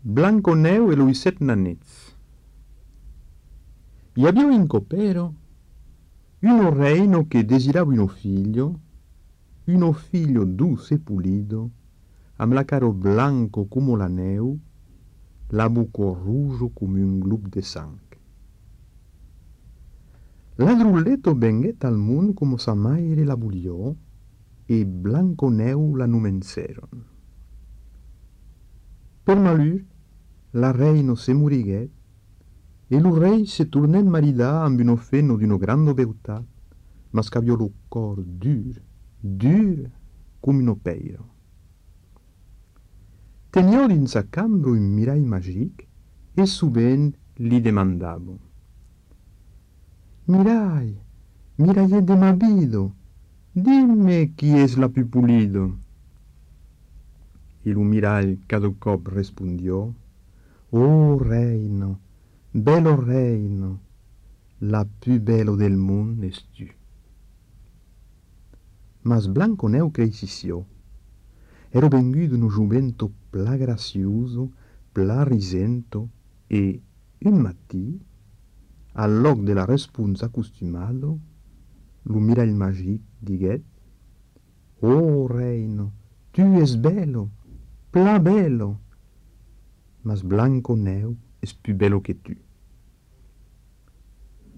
Blanconeu e lui 7 nanets. E había in copero uno reino che desirava uno figlio dulce e pulido, amb la caro blanco come la neu, la buco rouge come un glob de sang. Ladrulletto venguet al mund come sa maire la buliò, e Blanconeu la numenceron. Per malheur, la reino se muriguet, e lo rei se tornèt maridar amb uno fenno d'uno grande beutat, mas qu'aviò lo cor dur come uno peiro. Teniò din sa cambra un mirall magic e sovent li demandavo: mirallet de ma vido, dimmi chi es la più pulido. E lo mirall cada cop respondió: oh reino, bello reino, la più bello del mondo es tu. Mas Blanconeu cresició. Ero venguto uno jumento pla gracioso, pla risento, e un mattì, al loc de la responsa acostumado, lo mirall magic diguet: oh reino, tu es bello, pla bello, mas Blanconeu es più bello que tu.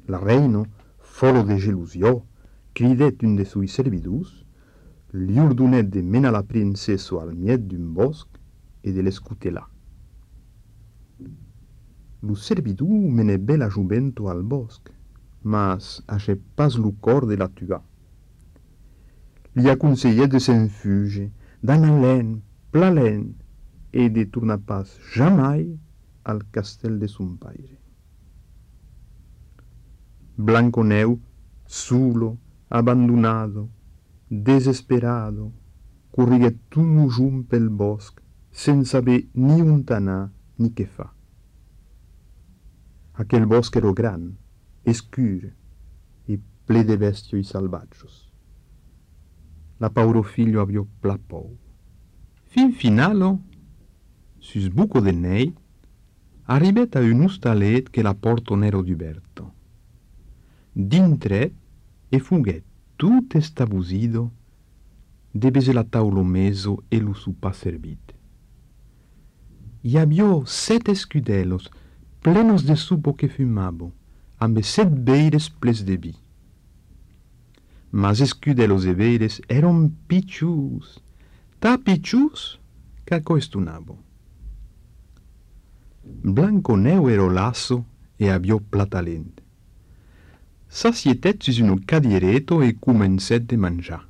La reino, folo de gelusió, cridet un de suoi servidus, li ordonet de menar la princessa al miet d'un bosc e de l'escutelar. Lo servidor menè bé la jumento al bosc, mas hachèt pas lo cor de la tuar. Li aconselhèt de se'n fuge, d'anar lent, pla lent, e de tornar pas jamai al castell de son paire. Blanconeu, solo, abbandonado, desesperado, corriguet tot lo junt pel bosc, sense saber ni on anar ni què fa. Aquel bosc era gran, escur e ple de bestioi salvatges. La pauro figlio aviò pla pou. Fin finalo, sus buco de nei, arribet a un ostalet che la porto n'era d'uberto. Dintret e fuguet tut estabusido, debese la taulo meso e lo supà servit. I aviò 7 escudelos plenos de supo que fumabo, amb 7 beires ples de vi. Mas escudelos e beires eran piccius, ta piccius qu'aco estunabo. Blanconeu ero lasso e aviò pla talent. S'assietet sus un cadiereto e comencèt de mangiar.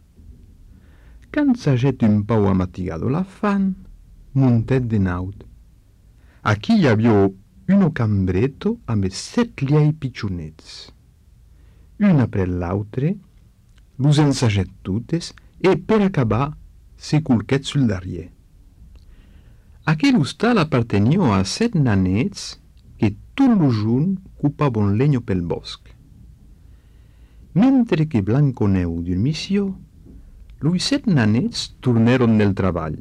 Quand s'agèt un pau amatigado la fan, montèt de naut. Aquí hi aviò uno cambretto amb 7 liei piccionets. Un après l'autre, los ensagèt totes e per acabar se culquèt sul darrièr. Aquel hostal appartenió a 7 nanets que tot lo junt cupabon legno pel bosc. Mentre que Blanconeu dormissió, los 7 nanets tornèron del treball.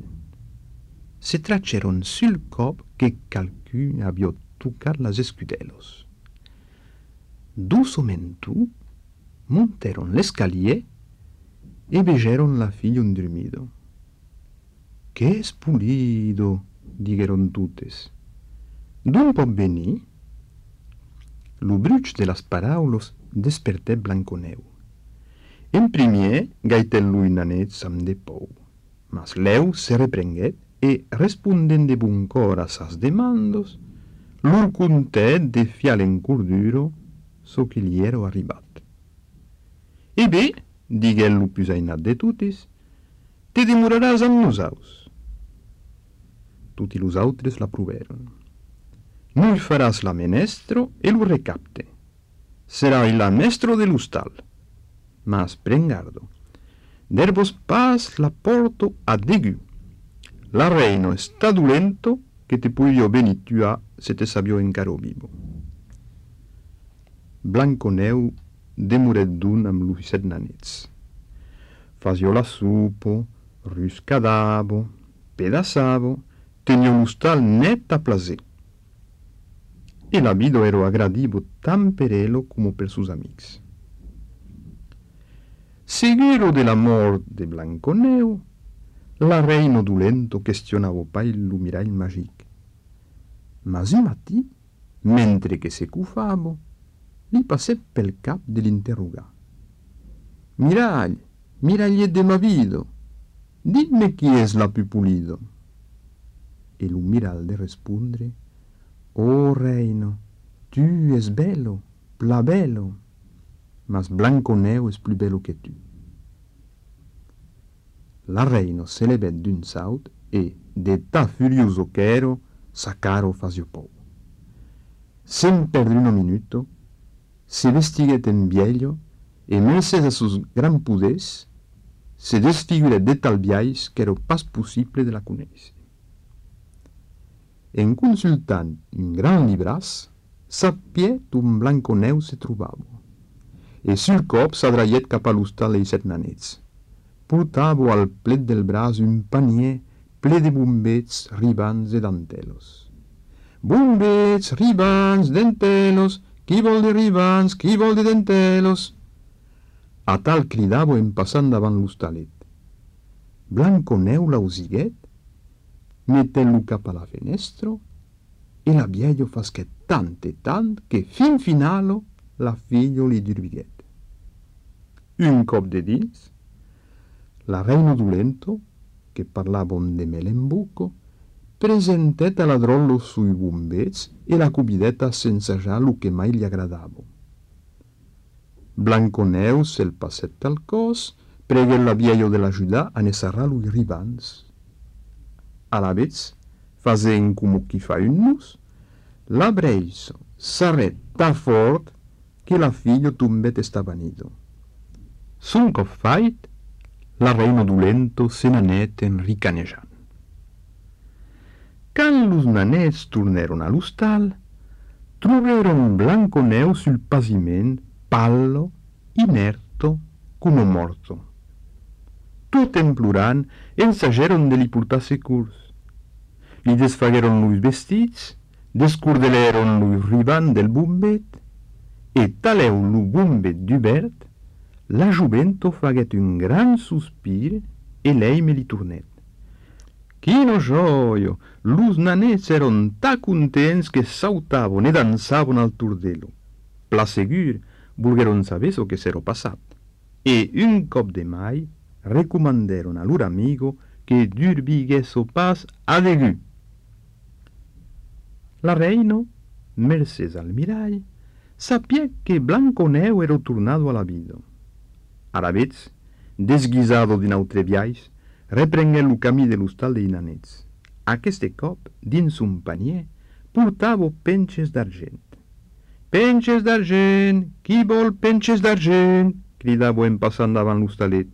Se trachèron sul cop que calcun aviò tocat las escudelos. Dusomento montèron l'escalier e vegèron la figlio dormido. «Que es pulido», digueron totes. «D'on pot venir?» Lo bruch de las paraulos despertèt Blanconeu. En primièr gaitèt lo nanets amb de pou, mas lèu se reprenguèt e, respondent de bon cor a sas demandos, lor contèt de fiar l'encorduro so que li ero arribat. «E bé», diguèt lo plus ainat de totes, «te demoraràs amb nosaus». Tutti los autres l'aprovèron. «Noi faràs la menestro e lo recapte. Serà il mestro de l'hostal. Mas pren gardo. Derbos pas la porto a degu. La reino està dolento que te puidio venir tuar se te sabió encaro vivo». Blanconeu demoret d'un amb los 7 nanets. Fasió la supo, ruscadavo, pedaçavo, tenia un hostal net a plaser. E la vida era aggradivo tan per ello come per sus amics. Seguro de la mort de Blanconeu, la reina dolento questionava pas lo mirall magic. Mas un matí, mentre que se cufava, li passè pel cap de l'interrogar. Mirall, mirallet de ma vida, dimmi chi es la più pulido. E lo mirall de rispondre, oh reino, tu es bello, pla bello, mas Blanconeu es più bello che tu. La reina se levet d'un saut e, de ta furioso che ero, sacaro fasio pou. Sem perdre un minuto, se vestiguet en vieglio e mercés a sus gran puders, se desfiguret de tal biais que era pas possible de la conèixer. En consultant un gran libras, sapiet un Blanconeu se trobava, e sul cop s'adraiet cap a l'hostal e set nanets. Portava al plet del braç un panier ple de bombets, ribans e dantelos. Bombets, ribans, dentelos, qui vol de ribans, qui vol de dentelos? A tal cridava en passant davant l'hostalet. Blanconeu l'ausiguet, metent-lo cap a la finestra, e la vieio fasquet tant e tant que fin finalo la fillo li durbiguet. Un cop de dins, la reina dolento, que parlava de mel en buco, presentet a ladrón los sui bombets e la cubideta sense ja lo que mai li agradava. Blanconeu se'l passèt al cos, preguèt la vieio de l'ajudar a ne serrar los ribans. A la vez, fasen como qui fa un nus, la breisa s'arret tan fort que la fillo tombet estabanido. Son cop fait, la reina dolento se n'anet enricanejant. Quand los nanets tornèron a l'hostal, trobèron Blanconeu sul paviment, pallo, inerto, como morto. Tot en plorant, ensagèron de li portar securs. Li desfaguèron los vestits, descordelèron los ribans del bombet, e talèu lo bombet d'Hubert, la juvento faguet un gran sospir e lei me li tornet. Quino gioio! Los nanets eron ta contents que sautavon e dansavon al tordelo. Pla segur, volgueron saber so que s'ero passat. E un cop de mai, recomandèron a lor amigo que durbiguesso pas a degú. La reina, mercés al mirall, sapiet que Blanconeu era tornado a la vida. A la vez, desguisado d'un autre biais, reprengué lo camí de l'hostal de nanets. Aqueste cop, dins un panier, portava penches d'argent. «Penches d'argent! Qui vol penches d'argent?» cridava en passant davant l'hostalet.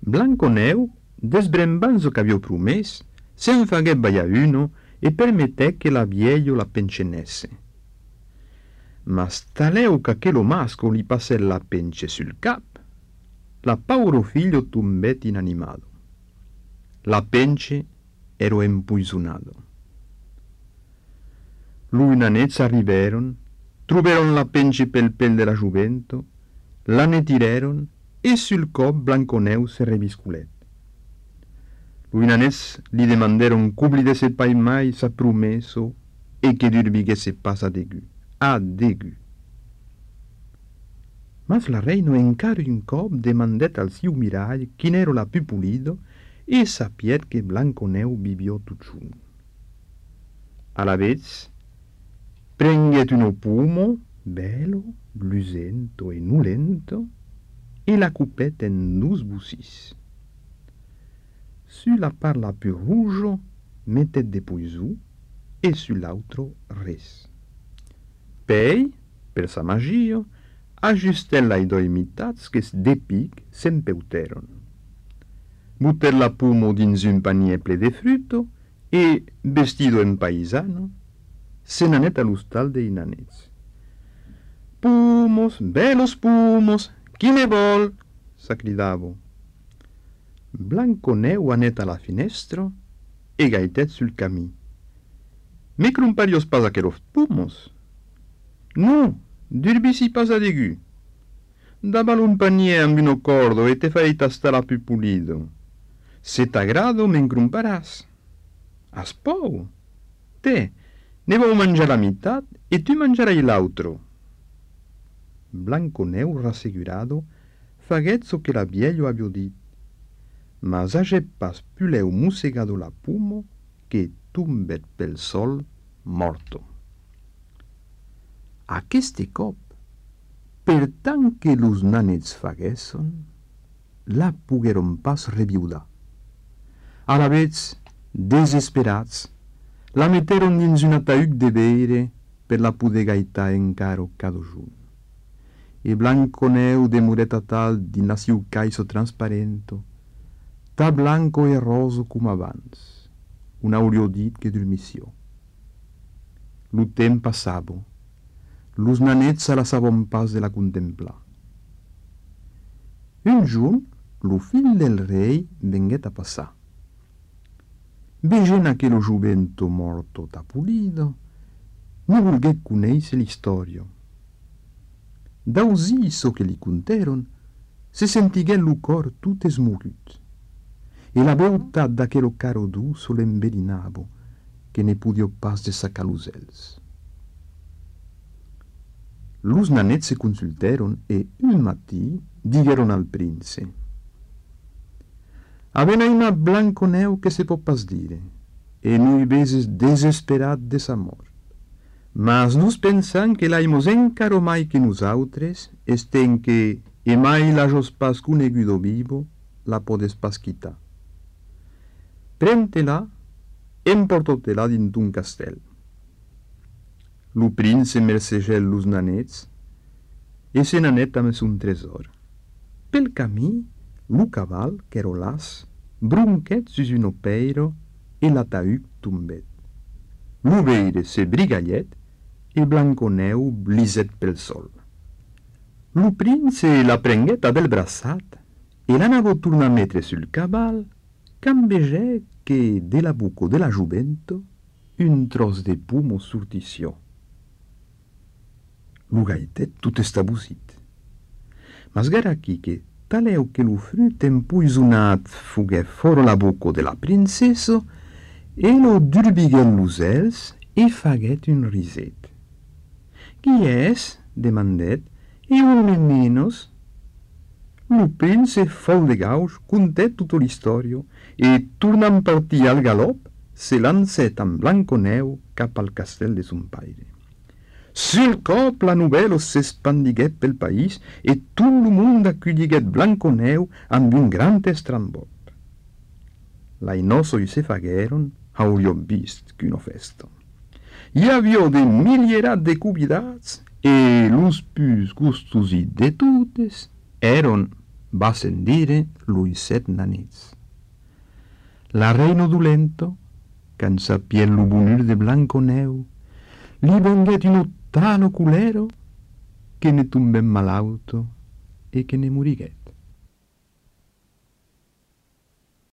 Blanconeu, desbrembant zo qu'havia promès, se'n faguèt ballar uno e permetèc que la vieio la penxenesse. Mas talèu qu'aquelo masco li passèt la penche sul cap, la pauro figlio tombet inanimado. La penche ero empoisonado. Lui nanets arribèron, trobèron la penche pel pel de la juvento, la netirèron e sul cop Blanconeu se revisculet. Lui nanets li demandèron qu'oblidesse pas mai sa promesso e que durbiguesse pas a degú. A degú. Mas la reina encara un cop demandèt al siu mirall quin era la più pulido e sapiet que Blanconeu vivió tot junt. A la vez, prenguet uno pomo, bello, lucento e nulento, e la cupet en dus bussis. Su la part la più rouge, mettet de poisou, e su l'altro res. Pei, per sa magia, ajustèt lai doi mitats que de pic s'empeuteron. Butèt la pomo dins un panier ple de fruto e, vestido en paisano, se n'anet a l'hostal de nanets. «Pomos, bellos pomos, qui ne vol?» s'acridava. Blanconeu anet a la finestra e Gaitet sul camí. Me crumparios pas aqueros pumos? No, durbisi pas adegu. Dabal un panier amb un cordo e te farei tastar a più pulido. Se t'agrado, me encrumparàs. As pou? Te, ne vau mangiar la meitat e tu mangiarai l'altro. Blanconeu, rassegurado, faguet so que la viejo avio dit, mas hagé pas puleu mussegado la pumo que tumbet pel sol morto. Aqueste cop, per tant que los nanets faguesson, la pogueron pas reviudar. Alavetz, desesperats, la meteron dins un ataüc de beire per la poder gaitar encaro cadojun. E Blanconeu demuret a tal din la siu caiso transparento, ta blanco e roso cum abans, un aureodit que dormissió. Lo temps passavo, los nanets se la sabon pas de la contemplar. Un jorn, lo fill del rei venguet a passar. Vegent aquello juvento morto tapulido, no volguet conèisser l'istorio. Dausì so que li conteron, se sentiguet lo cor tot esmorut, e la beltat d'aquello caro duso l'embedinavo, que ne pudio pas de sacar los els. Los nanets se consulteron e un matí digueron al prince: «Avenaina Blanconeu que se pot pas dire, e noi veses desesperat de sa mort. Mas nos pensan que l'aimos encaro mai que nosaltres, esten que, e mai l'ajos pas conegudo vivo, la podes pas quitar. Prente-la, emportotela dins d'un castel». Lo prince mercegèt los nanets, e se nanet amb son tresor. Pel camí, lo caval, qu'ero las, bronquet sus un opeiro, e l'ataüc tombet. Lo veire se brigallet, e Blanconeu bliset pel sol. Lo prince la prenguet a bel braçat, e l'anavo tornar a metre sul caval, quand vegè que de la buco de la juvento un tros de pumo sortissió. Lo Gaitet tot estabusit. Mas gara aquí que taleu que lo frut empoisonat fuguè fora la buco de la princesso, e lo durbiguèt los els e faguèt un riset. «Qui és?» demandèt, «e un menos?» Lo prince fol de gauch contèt tota l'istorio e, tornant partir al galop, se lancèt amb Blanconeu cap al castel de son paire. Sul cop la novèla s'espandiguèt pel país e tot lo mond aculliguèt Blanconeu amb un grand estrambot. L'ainoso se faguèron, aurio vist qu'uno festo. Hi havia de milierat de convidats e los pus gustosi de totes eron, va sen dire, los 7 nanets. La reino dolento, quand sapiet lo bonur de Blanconeu, li venguet un talo culero que ne tombèt malauto e que ne moriguet.